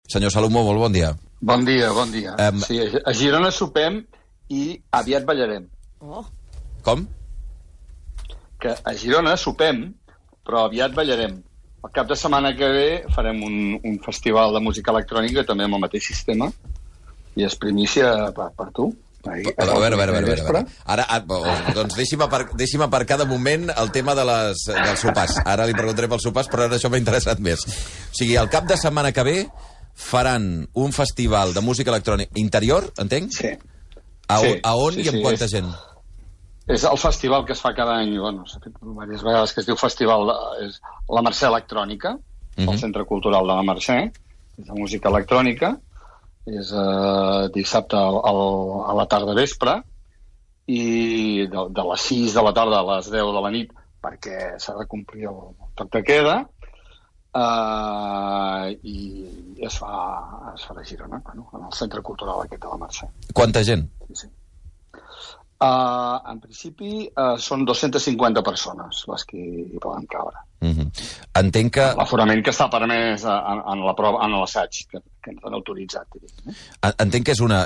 Senyor Salomó, molt bon dia. Bon dia, bon dia. Sí, a Girona sopem i aviat ballarem. Oh. Com? Que a Girona sopem, però aviat ballarem. El cap de setmana que ve farem un festival de música electrònica també amb el mateix sistema i és primícia per tu. A veure. Ara, doncs deixi'm aparcar de moment el tema dels sopars. Ara li preguntaré pels sopars, però ara això m'ha interessat més. O sigui, el cap de setmana que ve faran un festival de música electrònica interior, entenc? Sí. A on i amb quanta gent? És el festival que es fa cada any, bueno, s'ha fet diverses vegades, que es diu Festival és la Mercè Electrònica, al Centre Cultural de la Mercè, és de música electrònica, és dissabte a la tarda vespre, i de les 6 de la tarda a les 10 de la nit, perquè s'ha de complir el toc de queda, i es fa a Girona, bueno, en el Centre Cultural aquest de la Mercè. Quanta gent? Sí. En principi són 250 persones les que hi poden cabre. Entenc que... L'aforament que està permès en l'assaig que ens han autoritzat. Entenc que és una...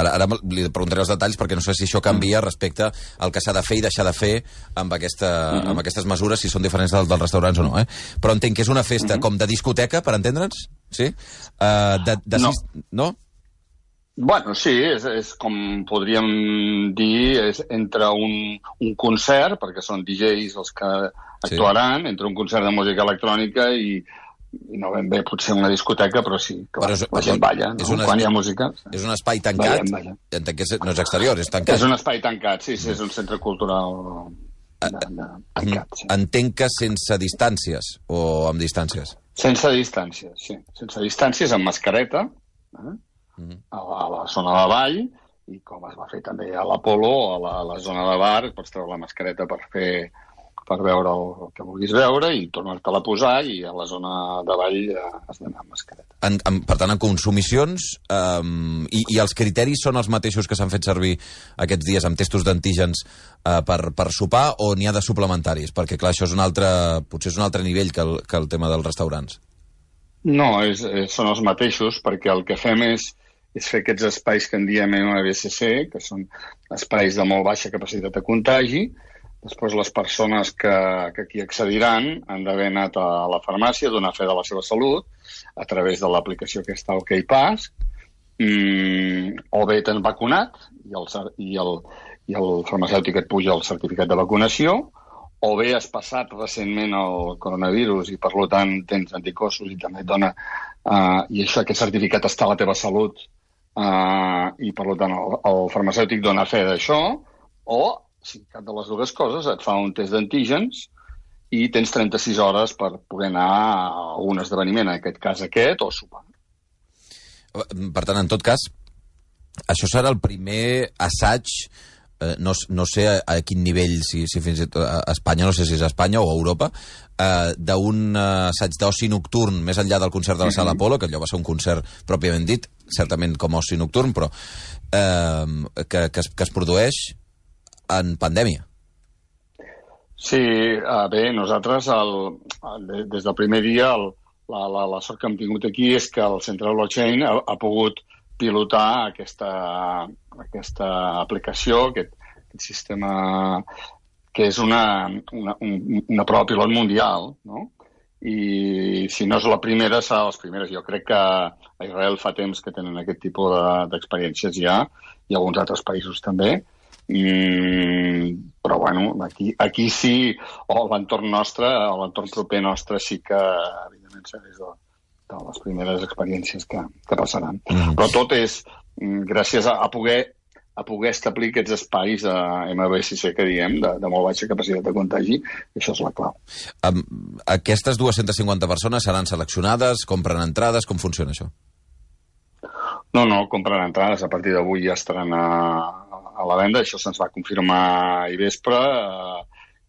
Ara li preguntaré els detalls perquè no sé si això canvia respecte al que s'ha de fer i deixar de fer amb aquestes mesures, si són diferents dels restaurants o no. Però entenc que és una festa com de discoteca, per entendre'ns? Sí? No? Bueno, sí, és com podríem dir, és entre un concert, perquè són DJs els que actuaran, entre un concert de música electrònica i no ben bé potser una discoteca, però sí, que la gent balla, no? Quan hi ha música. És un espai tancat? Entenc que no és exterior, és tancat. És un espai tancat, sí, és un centre cultural tancat. Entenc que sense distàncies o amb distàncies? Sense distàncies, sí. Sense distàncies, amb mascareta, a la zona de ball, i com es va fer també a l'Apolo, a la zona de bar, pots treure la mascareta per veure el que vulguis veure i tornar-te-la a posar, i a la zona de ball has d'anar amb mascareta. Per tant, en consumicions, i els criteris són els mateixos que s'han fet servir aquests dies amb testos d'antígens per sopar, o n'hi ha de suplementaris? Perquè, clar, això potser és un altre nivell que el tema dels restaurants. No, són els mateixos, perquè el que fem és fer aquests espais que en diem MBCC, que són espais de molt baixa capacitat de contagi. Després les persones que aquí accediran han d'haver anat a la farmàcia a donar fe de la seva salut a través de l'aplicació que està al OkPass, o bé t'han vacunat i el farmacèutic et puja el certificat de vacunació, o bé has passat recentment el coronavirus i per tant tens anticossos i també et dona i aquest certificat està a la teva salut i per tant el farmacèutic dona fe d'això, o si cap de les dues coses et fa un test d'antígens i tens 36 hores per poder anar a un esdeveniment, en aquest cas o sopar. Per tant, en tot cas, això serà el primer assaig, no sé a quin nivell, si fins i tot a Espanya, no sé si és a Espanya o a Europa, d'un assaig d'oci nocturn més enllà del concert de la Sala Apolo, que allò va ser un concert pròpiament dit, certament com a oci nocturn, però que es produeix en pandèmia. Sí, bé, nosaltres des del primer dia la sort que hem tingut aquí és que el Centre Blockchain ha pogut pilotar aquesta aplicació, aquest sistema que és una prova pilot mundial, no? I si no és la primera, serà les primeres. Jo crec que a Israel fa temps que tenen aquest tipus d'experiències ja, i alguns altres països també. Però bueno, aquí sí, o l'entorn nostre, o l'entorn proper nostre sí que evidentment serà de les primeres experiències que passaran. Però tot és gràcies a poder establir aquests espais de MBCC que diem, de molt baixa capacitat de contagi, i això és la clau. Aquestes 250 persones seran seleccionades, compren entrades, com funciona això? No, compren entrades, a partir d'avui ja estaran a la venda, això se'ns va confirmar ahir vespre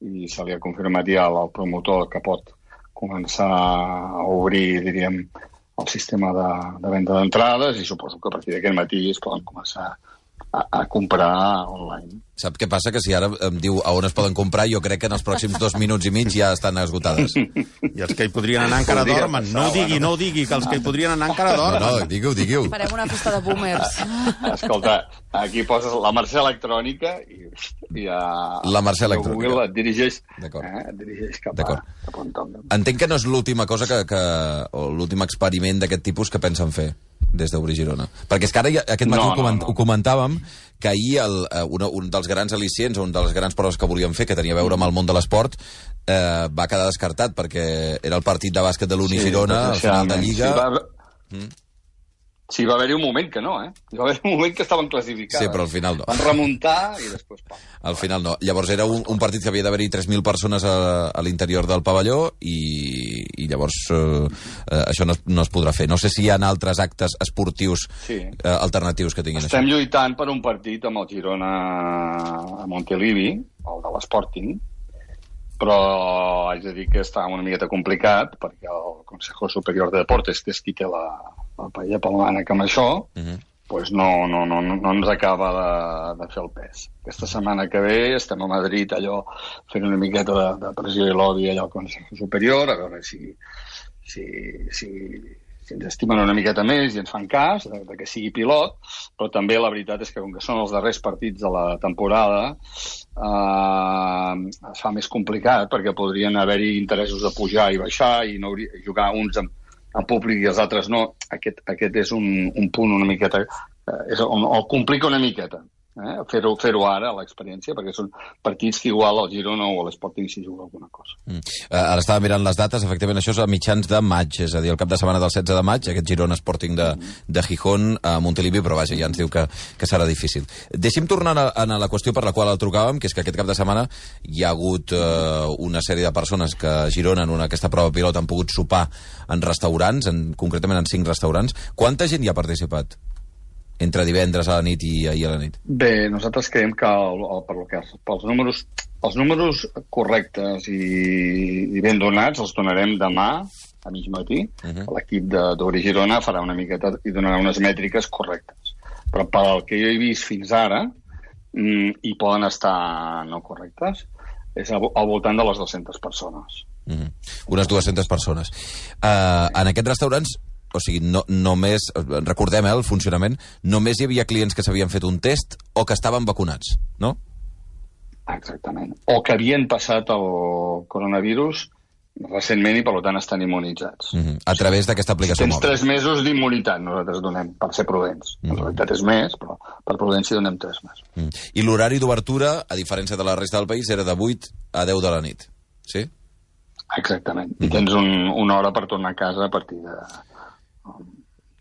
i se li ha confirmat ja al promotor que pot començar a obrir, diríem, el sistema de venda d'entrades, i suposo que a partir d'aquest matí es poden començar a comprar online. Sap què passa? Que si ara em diu a on es poden comprar, jo crec que en els pròxims 2 minuts i mig ja estan esgotades. I els que hi podrien anar encara dormen. No ho digui, que els que hi podrien anar encara dormen. No, digui-ho. Farem una festa de boomers. Escolta, aquí poses la Mercè electrònica i la Mercè electrònica. Google et dirigeix cap a on toca. Entenc que no és l'última cosa o l'últim experiment d'aquest tipus que pensen fer des d'Obrir Girona. Perquè és que ara aquest matí ho comentàvem, que ahir un dels grans al·licients, un dels grans proves que volíem fer, que tenia a veure amb el món de l'esport, va quedar descartat perquè era el partit de bàsquet de l'Uni Girona, al final de Lliga. Sí, va haver-hi un moment que no, Hi va haver un moment que estaven classificats. Sí, però al final no. Van remuntar i després... Al final no. Llavors era un partit que havia d'haver-hi 3.000 persones a l'interior del pavelló i llavors això no es podrà fer. No sé si hi ha altres actes esportius alternatius que tinguin Estem lluitant per un partit amb el Girona a Montilivi, el de l'Sporting, però haig de dir que està una miqueta complicat perquè el Consejo Superior de Deportes, que és qui té la paella pel mànec amb això, pues no ens acaba de fer el pes. Aquesta setmana que ve estem a Madrid allò fent una miqueta de pressió i lobby allò al Consejo Superior, a veure si ens estimen una miqueta més i ens fan cas de que sigui pilot, però també la veritat és que com que són els darrers partits de la temporada es fa més complicat perquè podrien haver-hi interessos de pujar i baixar i jugar uns en públic i els altres no. Aquest és un punt una miqueta on el complica una miqueta fer-ho ara, l'experiència, perquè són partits que igual al Girona o a l'Sporting s'hi juga alguna cosa. Ara estava mirant les dates, efectivament això és a mitjans de maig, és a dir, el cap de setmana del 16 de maig, aquest Girona Sporting de Gijón a Montilivi, però vaja, ja ens diu que serà difícil. Deixi'm tornar a la qüestió per la qual el trucàvem, que és que aquest cap de setmana hi ha hagut una sèrie de persones que a Girona, en aquesta prova pilot, han pogut sopar en restaurants, concretament en 5 restaurants. Quanta gent hi ha participat? Entre divendres a la nit i ahir a la nit? Bé, nosaltres creiem que pels números correctes i ben donats els donarem demà a mig matí. L'equip d'Obrir Girona farà una miqueta i donarà unes mètriques correctes. Però pel que jo he vist fins ara, i poden estar no correctes, és al voltant de les 200 persones. Unes 200 persones. En aquests restaurants, o sigui, només, recordem el funcionament, només hi havia clients que s'havien fet un test o que estaven vacunats, no? Exactament. O que havien passat el coronavirus recentment i, per tant, estan immunitzats. A través d'aquesta aplicació mòbil. Tens 3 mesos d'immunitat, nosaltres donem, per ser prudents. En realitat és més, però per prudència donem 3 mesos. I l'horari d'obertura, a diferència de la resta del país, era de 8 a 10 de la nit, sí? Exactament. I tens una hora per tornar a casa a partir de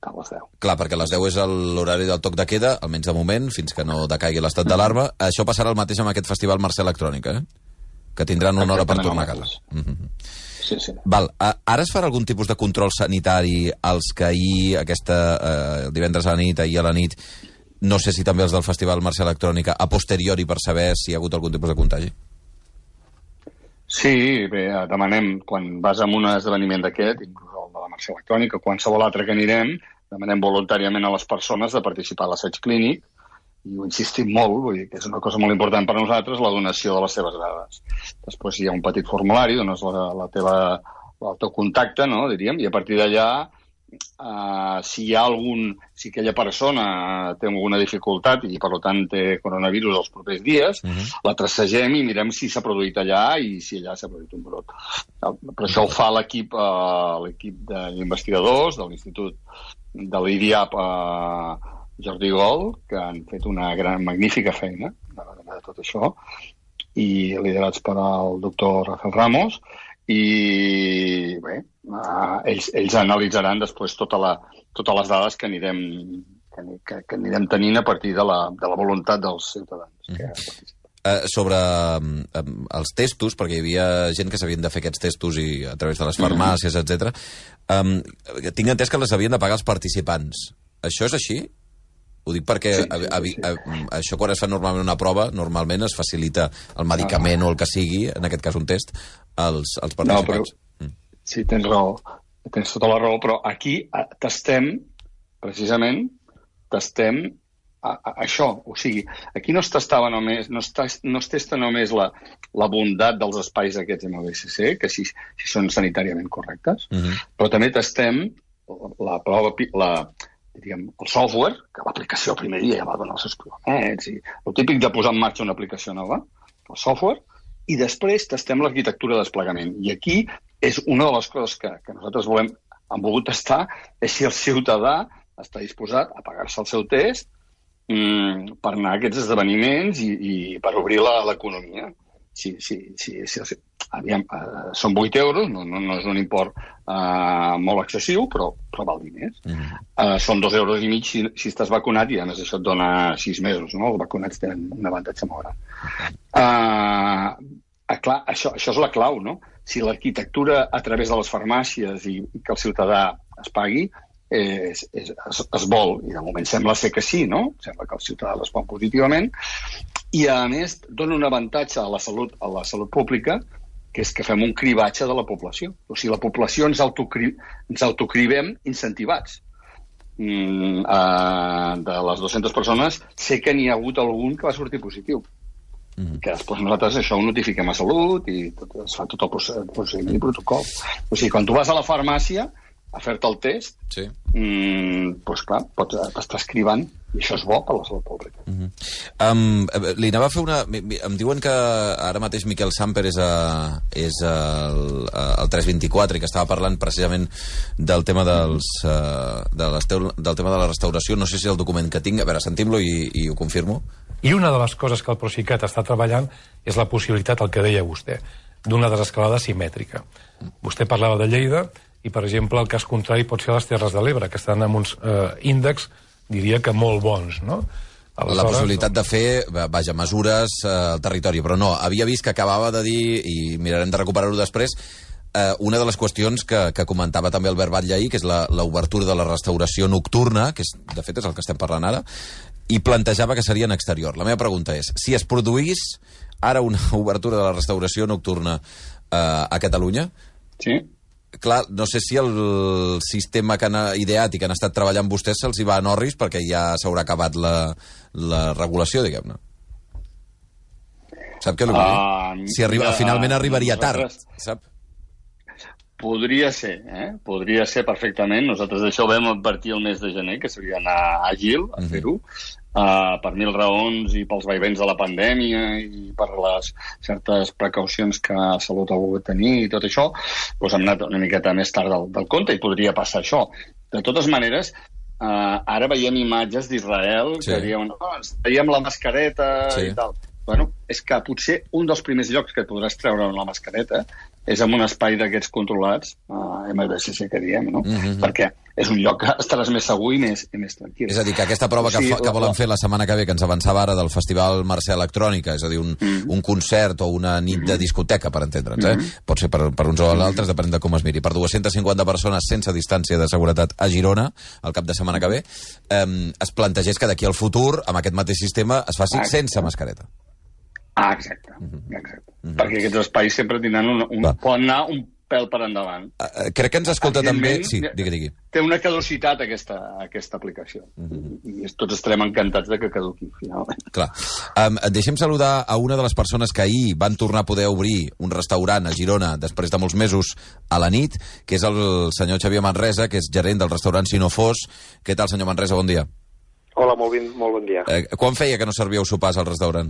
les 10. Clar, perquè a les 10 és l'horari del toc de queda, almenys de moment, fins que no decaigui l'estat d'alarma. Això passarà el mateix amb aquest festival Mercè Electrònica, que tindran una hora per tornar a casa. Sí. Val. Ara es farà algun tipus de control sanitari als que ahir, divendres a la nit, ahir a la nit, no sé si també els del festival Mercè Electrònica, a posteriori per saber si hi ha hagut algun tipus de contagi? Sí, bé, demanem, quan vas a un esdeveniment d'aquest, inclús el de la Mercè Electrònica, o qualsevol altre que anirem, demanem voluntàriament a les persones de participar a l'assaig clínic, i ho insistim molt, vull dir que és una cosa molt important per a nosaltres, la donació de les seves dades. Després hi ha un petit formulari, dones el teu contacte, no, diríem, i a partir d'allà, si aquella persona té alguna dificultat i per tant té coronavirus els propers dies, la tracegem i mirem si s'ha produït allà i si allà s'ha produït un brot. Però això ho fa l'equip d'investigadors de l'Institut de l'IDIAP Jordi Gol, que han fet una magnífica feina de tot això, i liderats per el doctor Rafael Ramos, i bé, ells analitzaran després totes les dades que anirem tenint a partir de la voluntat dels ciutadans. Sobre els testos, perquè hi havia gent que s'havien de fer aquests testos i a través de les farmàcies, etc. Tinc entès que les havien de pagar els participants. Això és així? Ho dic perquè això quan es fa normalment una prova, normalment es facilita el medicament o el que sigui, en aquest cas un test, als participants. No, però, sí, tens raó, tens tota la raó, però aquí testem això. O sigui, aquí no es testava només, no es testa només la bondat dels espais aquests MBCC, que si són sanitàriament correctes, però també testem la prova, diríem, el software, que l'aplicació el primer dia ja va donar els seus provaments, i el típic de posar en marxa una aplicació nova, el software, i després testem l'arquitectura de desplegament. I aquí és una de les coses que nosaltres hem volgut testar, és si el ciutadà està disposat a pagar-se el seu test per anar a aquests esdeveniments i per obrir l'economia. Aviam, són 8 euros, no és un import molt excessiu, però val diners. Són 2,5 euros si estàs vacunat i a més això et dona 6 mesos, no? Els vacunats tenen un avantatge molt gran. Clar, això és la clau, no? Si l'arquitectura a través de les farmàcies i que el ciutadà es pagui, es vol, i de moment sembla ser que sí, no? Sembla que el ciutadà respon positivament, i a més dona un avantatge a la salut pública, que és que fem un cribatge de la població. O sigui, la població ens autocribem incentivats. De les 200 persones, sé que n'hi ha hagut algun que va sortir positiu. Que després nosaltres això ho notifiquem a Salut i es fa tot el procediment i protocol. O sigui, quan tu vas a la farmàcia a fer-te el test, doncs clar, t'estàs cribant, i això és bo per la salut pública. Li anava a fer una... Em diuen que ara mateix Miquel Samper és el 324 i que estava parlant precisament del tema del tema de la restauració. No sé si el document que tinc... A veure, sentim-lo i ho confirmo. I una de les coses que el Procicat està treballant és la possibilitat, el que deia vostè, d'una desescalada simètrica. Vostè parlava de Lleida i, per exemple, el cas contrari pot ser les Terres de l'Ebre, que estan amb uns índexs, diria que molt bons, no? Aleshores, la possibilitat de fer, mesures al territori, però no, havia vist que acabava de dir, i mirarem de recuperar-ho després, una de les qüestions que comentava també Albert Batlle ahir, que és l'obertura de la restauració nocturna, que de fet és el que estem parlant ara, i plantejava que seria en exterior. La meva pregunta és, si es produís ara una obertura de la restauració nocturna a Catalunya, clar, no sé si el sistema que han ideat i que han estat treballant vostès se'ls hi va a Norris perquè ja s'haurà acabat la regulació, diguem-ne. Sap què vull dir? Si finalment arribaria tard, sap? Podria ser perfectament. Nosaltres d'això ho vam advertir el mes de gener, que seria anar àgil a fer-ho, per 1000 raons i pels vaivents de la pandèmia i per les certes precaucions que Salut ha volgut tenir i tot això, doncs hem anat una miqueta més tard del compte i podria passar això. De totes maneres, ara veiem imatges d'Israel que diuen, ens traiem la mascareta i tal. Bueno, és que potser un dels primers llocs que et podràs treure la mascareta és en un espai d'aquests controlats, MBCC que diem, no? Perquè és un lloc que estaràs més segur i més tranquil. És a dir, que aquesta prova que volen fer la setmana que ve, que ens avançava ara del Festival Mercè Electrònica, és a dir, un concert o una nit de discoteca, per entendre'ns, pot ser per uns o altres, depèn de com es miri. Per 250 persones sense distància de seguretat a Girona, el cap de setmana que ve, es plantegés que d'aquí al futur, amb aquest mateix sistema, es faci sense mascareta. Exacte. Perquè aquests espais sempre tindran poden anar un pèl per endavant. Crec que ens escolta també... Sí, digui. Té una caducitat aquesta aplicació. I tots estarem encantats de que caduqui, finalment. Clar. Deixem saludar a una de les persones que ahir van tornar a poder obrir un restaurant a Girona després de molts mesos a la nit, que és el senyor Xavier Manresa, que és gerent del restaurant Sinofós. Què tal, senyor Manresa? Bon dia. Hola, molt bon dia. Quan feia que no servíeu sopars al restaurant?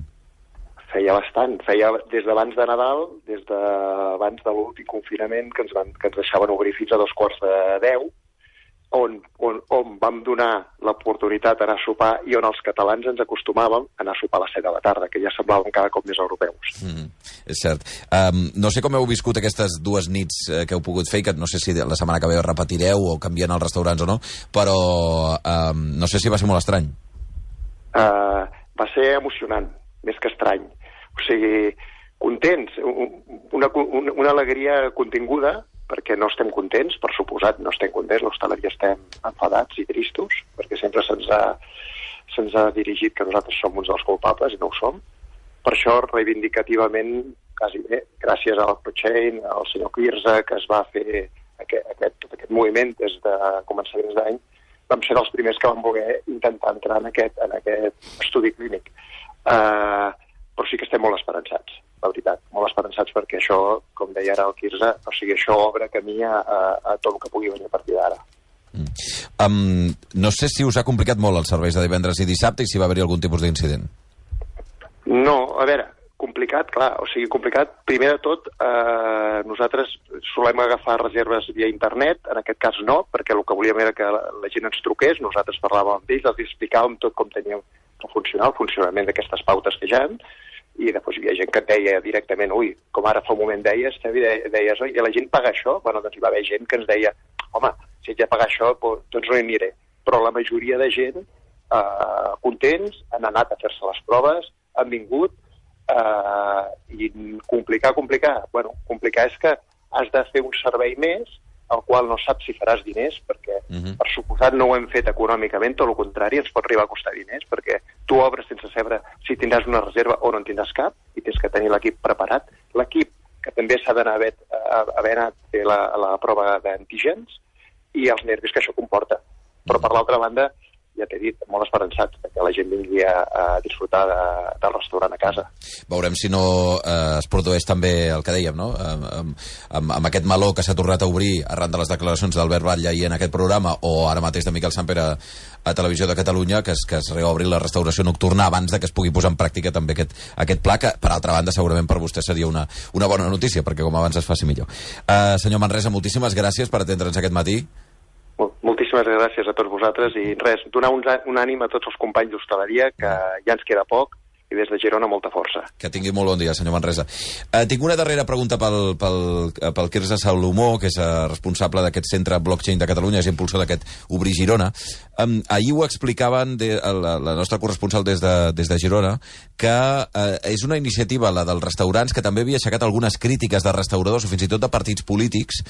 Feia bastant. Feia des d'abans de Nadal, des d'abans de l'últim confinament, que ens deixaven obrir fins a 9:45, on vam donar l'oportunitat d'anar a sopar i on els catalans ens acostumàvem a anar a sopar a les 7 de la tarda, que ja semblàvem cada cop més europeus. És cert. No sé com heu viscut aquestes dues nits que heu pogut fer, que no sé si la setmana que ve repetireu o canvien els restaurants o no, però no sé si va ser molt estrany. Va ser emocionant, més que estrany. O sigui, contents, una alegria continguda, perquè no estem contents, per suposat, no estem contents, l'hostaleria estem enfadats i tristos, perquè sempre se'ns ha dirigit que nosaltres som uns dels culpables i no ho som. Per això, reivindicativament, quasi bé, gràcies al ProChain, al senyor Quirze, que es va fer tot aquest moviment des de començaments d'any, vam ser dels primers que vam voler intentar entrar en aquest estudi clínic. Però sí que estem molt esperançats, la veritat, molt esperançats perquè això, com deia ara el Quirze, o sigui, això obre camí a tot el que pugui venir a partir d'ara. No sé si us ha complicat molt els serveis de divendres i dissabte i si va haver-hi algun tipus d'incident. No, a veure, complicat, clar, o sigui, complicat, primer de tot, nosaltres solem agafar reserves via internet, en aquest cas no, perquè el que volíem era que la gent ens truqués, nosaltres parlàvem amb ells, els explicàvem tot com teníem que funcionar, el funcionament d'aquestes pautes que hi ha, i després hi havia gent que et deia directament, ui, com ara fa un moment deies, oi, i la gent paga això? Bueno, doncs hi va haver gent que ens deia, home, si haig de pagar això, doncs no hi aniré. Però la majoria de gent contents, han anat a fer-se les proves, han vingut, i complicar. Bueno, complicar és que has de fer un servei més, al qual no saps si faràs diners, perquè per suposat no ho hem fet econòmicament, tot el contrari, ens pot arribar a costar diners, perquè tu obres sense saber si tindràs una reserva o no en tindràs cap, i tens que tenir l'equip preparat. L'equip, que també s'ha d'anar haver anat a fer la prova d'antígens, i els nervis que això comporta. Però, per l'altra banda, ja t'he dit, molt esperançat que la gent vingui a disfrutar del restaurant a casa. Veurem si no es produeix també el que dèiem, no? Amb aquest meló que s'ha tornat a obrir arran de les declaracions d'Albert Batlle i en aquest programa, o ara mateix de Miquel Samper a Televisió de Catalunya, que es reobri la restauració nocturna abans de que es pugui posar en pràctica també aquest pla, que per altra banda segurament per vostè seria una bona notícia, perquè com abans es faci millor. Senyor Manresa, moltíssimes gràcies per atendre'ns aquest matí. Moltíssimes gràcies a tots vosaltres i res, donar un ànim a tots els companys d'hostaleria, que ja ens queda poc, i des de Girona molta força. Que tingui molt bon dia, senyor Manresa. Tinc una darrera pregunta pel Quirze Salomó, que és responsable d'aquest centre blockchain de Catalunya, és impulsor d'aquest Obrir Girona. Ahir ho explicaven la nostra corresponsal des de Girona, que és una iniciativa, la dels restaurants, que també havia aixecat algunes crítiques de restauradors o fins i tot de partits polítics,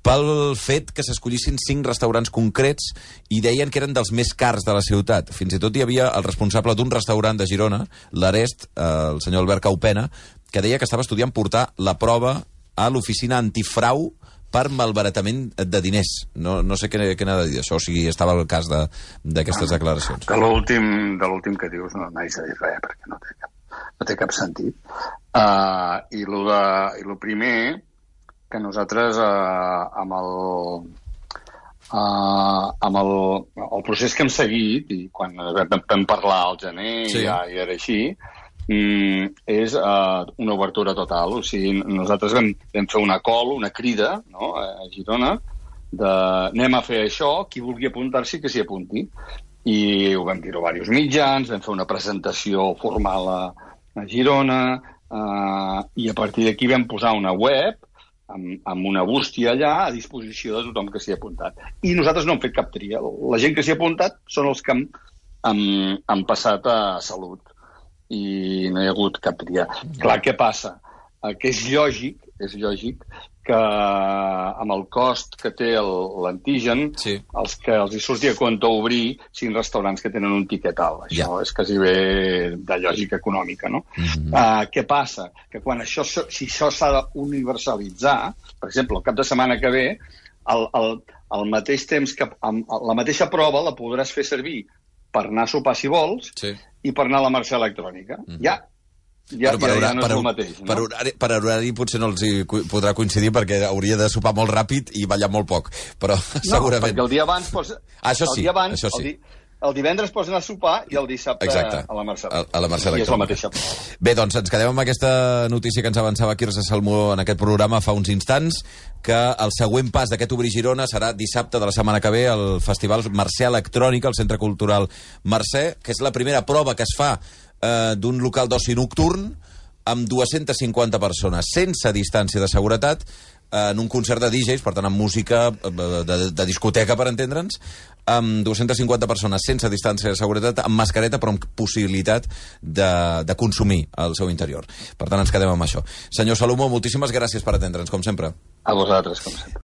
pel fet que s'escollissin 5 restaurants concrets i deien que eren dels més cars de la ciutat. Fins i tot hi havia el responsable d'un restaurant de Girona, l'Arest, el senyor Albert Caupena, que deia que estava estudiant portar la prova a l'oficina antifrau per malbaratament de diners. No sé què n'ha de dir això, o sigui, estava el cas d'aquestes declaracions. De l'últim que dius no n'haig de dir res, perquè no té cap sentit. I el primer, que nosaltres amb el procés que hem seguit, i quan vam parlar al gener, sí, ja era així, és una obertura total. O sigui, nosaltres vam fer una call, una crida, no?, a Girona, de anem a fer això, qui vulgui apuntar-s'hi que s'hi apunti. I ho vam dir a diversos mitjans, vam fer una presentació formal a Girona, i a partir d'aquí vam posar una web amb una bústia allà a disposició de tothom que s'hi ha apuntat. I nosaltres no hem fet cap tria. La gent que s'hi ha apuntat són els que han passat a salut. I no hi ha hagut cap tria. Clar, què passa? Que és lògic que amb el cost que té l'antigen, sí, els que els hi surti a compte obrir 5 restaurants que tenen un tiquet alt. Això és quasi bé de lògica econòmica, no? Què passa? Que quan si això s'ha d'universalitzar, per exemple, el cap de setmana que ve, al mateix temps que la mateixa prova la podràs fer servir per anar a sopar si vols, sí, i per anar a la marxa electrònica. Per horari potser no els hi podrà coincidir perquè hauria de sopar molt ràpid i ballar molt poc, però segurament... No, perquè el dia abans pots... Això sí. El divendres pots anar a sopar i el dissabte a la marxa electrònica. I és la mateixa. Bé, doncs ens quedem amb aquesta notícia que ens avançava Quirze Salomó en aquest programa fa uns instants, que el següent pas d'aquest Obrir Girona serà dissabte de la setmana que ve al Festival Mercè Electrònica, al Centre Cultural Mercè, que és la primera prova que es fa d'un local d'oci nocturn amb 250 persones, sense distància de seguretat, en un concert de DJs, per tant, amb música de discoteca, per entendre'ns, amb 250 persones sense distància de seguretat, amb mascareta, però amb possibilitat de consumir al seu interior. Per tant, ens quedem amb això. Senyor Salomó, moltíssimes gràcies per atendre'ns, com sempre. A vosaltres, com sempre.